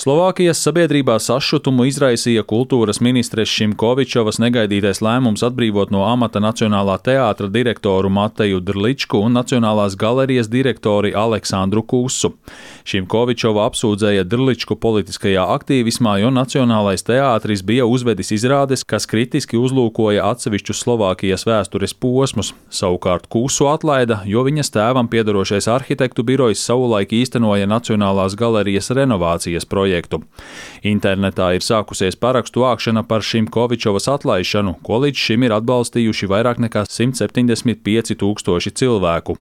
Slovākijas sabiedrībā sašutumu izraisīja kultūras ministres Šimkovičovas negaidītais lēmums atbrīvot no amata Nacionālā teātra direktoru Mateju Drličku un Nacionālās galerijas direktori Aleksandru Kusu. Šimkovičova apsūdzēja Drličku politiskajā aktīvismā, jo Nacionālais teātris bija uzvedis izrādes, kas kritiski uzlūkoja atsevišķus Slovākijas vēstures posmus. Savukārt Kusu atlaida, jo viņas tēvam piedarošais arhitektu birojs savulaik īstenoja Nacionālās galerijas renovācijas projektu. Internetā ir sākusies parakstu vākšana par Šimkovičovas atlaišanu, ko līdz šim ir atbalstījuši vairāk nekā 175 000 cilvēku.